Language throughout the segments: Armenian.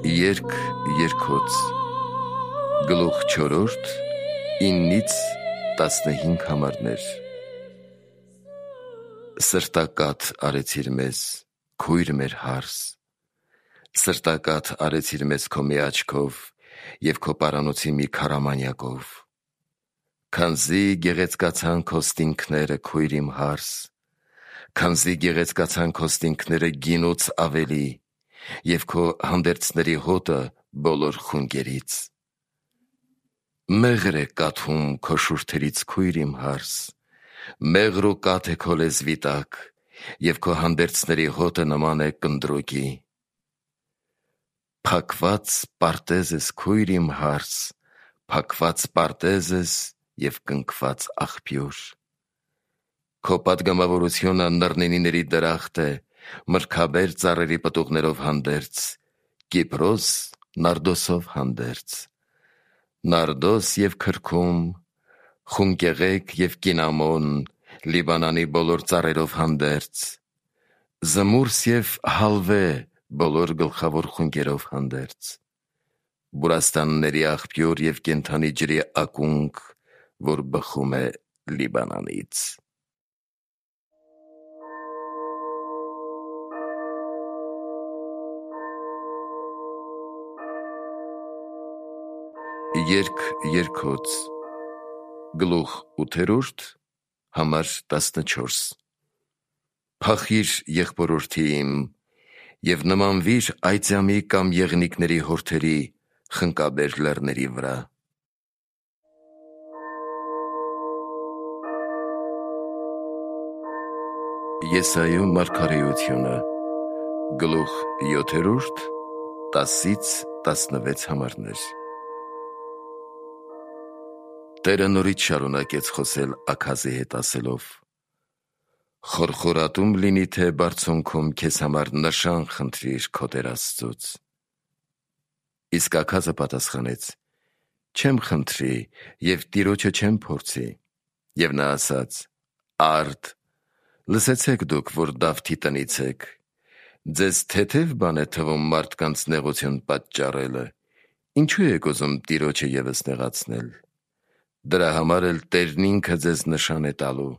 Երկ երկոց գլուխ 4 9-ից 15 համարներ Սրտակաթ արեցիր մեզ, քույր մեր հարս, սրտակաթ արեցիր մեզ քո մի աչքով և քո պարանոցի մի քարամանյակով, քանզի գեղեցկացան քո ստինքները, քույր իմ հարս, քանզի գեղեցկացան քո ստինքները գինուց ավելի, և քո հանդերձների հոտը բոլոր խունգերից։ Մեղր է կաթում քո շուրթերից, քույր իմ հարս, մեղր ու կաթ է քո լեզվի տակ, և քո հանդերձների հոտը նման է կնդրուկի։ Փակված պարտեզ ես, քույր իմ հարս, փակված պարտեզ ես և կնքված աղբյուր։ Քո պատգամավորությունը նռնինիների դրախտ է, մրգաբեր ծառերի պտուղներով հանդերձ, Կիպրոս նարդոսով հանդերձ, նարդոս և քրքում, խունկեղեգ և կինամոն, Լիբանանի բոլոր ծառերով հանդերձ, զմուրս և հալվե բոլոր գլխավոր խունկերով հանդերձ, բուրաստանների աղբյուր և կենդանի ջրի ակունք, որ բխում է Լիբանանից։ Երկ երկոց գլուխ 8 համար 14 Փախիր եղբորորդի իմ և նմանվիր այծյամի կամ եղնիկների հորթերի խնկաբեր լեռների վրա։ Եսայու մարգարեությունը գլուխ 7 10-ից 16 համարներ Տերը նորից շարունակեց խոսել Աքազի հետ ասելով. Խորխորատում լինի, թե բարձունքում քեզ համար նշան խնդրիր քո Տեր Աստծուց։ Իսկ Աքազը պատասխանեց. Չեմ խնդրի և Տիրոջը չեմ փորձի։ Եվ նա ասաց. Արդ, լսեցեք դուք, որ Դավթի տնից եք, ձեզ թեթև բան է թվում մարդկանց նեղություն պատճառելը, ինչու եք ուզում Տիրոջը ևս նեղացնել։ Դրա համար էլ Տերն ինքը ձեզ նշան է տալու.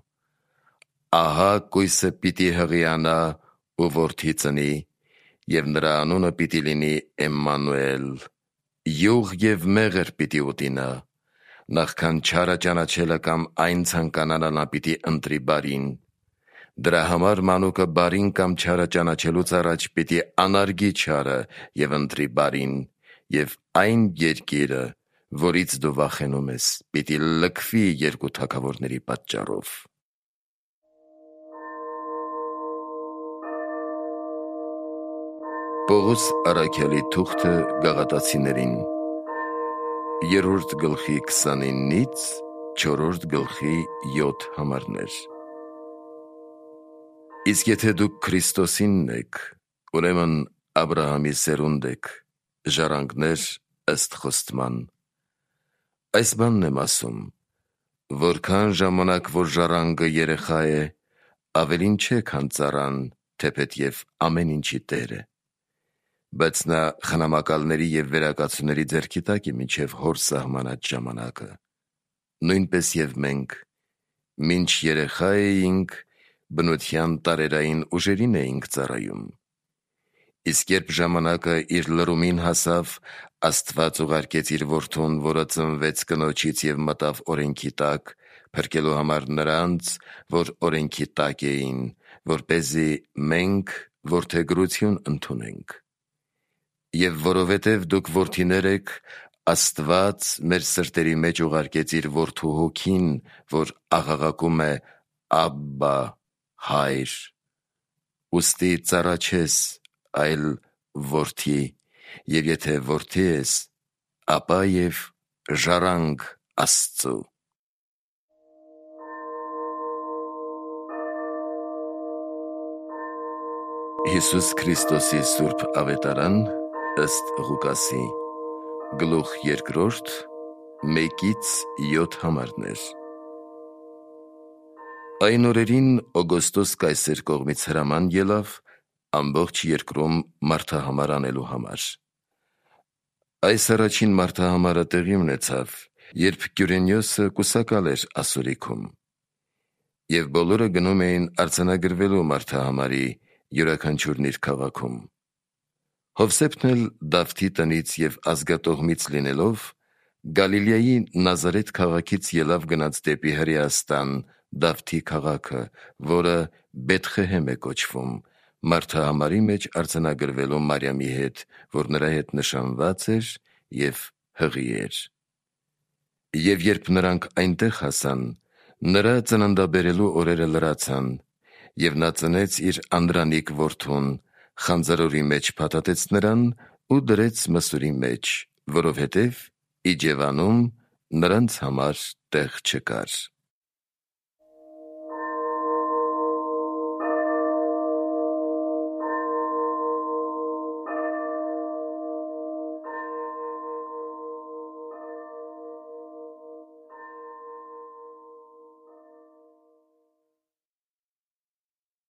ահա կույսը պիտի հղիանա ու որդի ծնի, և նրա անունը պիտի լինի Էմմանուել, յուղ և մեղր պիտի ուտի նա, նախքան չարը ճանաչելը կամ այն ցանկանալը նա պիտի ընտրի բարին, դրա համար մանուկը բարին կամ չարը ճանաչելուց առաջ պիտի անարգի չարը և ընտրի բարին, և այն երկիրը, որից դու վախենում ես, պիտի լքվի երկու թագավորների պատճառով։ Պողոս առաքյալի թուղթը Գաղատացիներին 3 գլխի 29-ից 4 գլխի 7 համարներ Իսկ եթե դուք Քրիստոսինն եք, ուրեմն Աբրահամի սերունդ եք, ժառանգներ ըստ խոստման։ Այս բանն եմ ասում. որքան ժամանակ որ ժառանգը երեխա է, ավելին չէ, քան ծառան, թեպետև ամեն ինչի Տեր է։ Բայց նա խնամակալների և վերակացուների ձեռքի տակ է մինչև հոր սահմանած ժամանակը։ Նույնպես և մենք, մինչ երեխա էինք, բնության տարերային ուժերին էինք ծառայում։ Իսկ երբ ժամանակը իր լրումին հասավ, Աստված ուղարկեց իր որդուն, որը ծնվեց կնոջից և մտավ օրենքի տակ, փրկելու համար նրանց, որ օրենքի տակ էին, որպեսզի մենք որդեգրություն ընդունենք։ Եվ որովհետև դուք որդիներ եք, Աստված մեր սրտերի մեջ ուղարկեց իր որդու հոգին, որ աղաղակում է Աբբա, Հայր։ Ուստի ծառա չես, այլ որդի, և եթե որդի ես, ապա և ժառանգ Աստծու։ Հիսուս Քրիստոսի սուրբ ավետարան ըստ Ղուկասի գլուխ 2 1-ից 7 համարներ Այն օրերին Օգոստոս կայսեր կողմից հրաման ելավ ամբողջ երկրում մարդահամար անելու համար։ Այս առաջին մարդահամարը տեղի ունեցավ, երբ Կյուրենիոսը կուսակալ էր ասորիքում, և բոլորը գնում էին արձանագրվելու մարդահամարի յուրաքանչյուրն իր քաղաքում։ Հովսեփն էլ Դավթի տնից և ազգատոհմից լինելով, Գալիլեայի Նազարեթ քաղաքից ելավ գնաց դեպի Հրեաստան Դավթի քաղաքը, որը Բեթխեհեմ է կոչվում, մարդահամարի մեջ արձանագրվելու Մարիամի հետ, որ նրա հետ նշանված էր և հղի էր։ Եվ երբ նրանք այնտեղ հասան, նրա ծննդաբերելու օրերը լրացան, և նա ծնեց իր անդրանիկ որդուն, խանձարորի մեջ փաթաթեց նրան ու դրեց մսուրի մեջ, որովհետև Իջևանում նրանց համար տեղ չկար։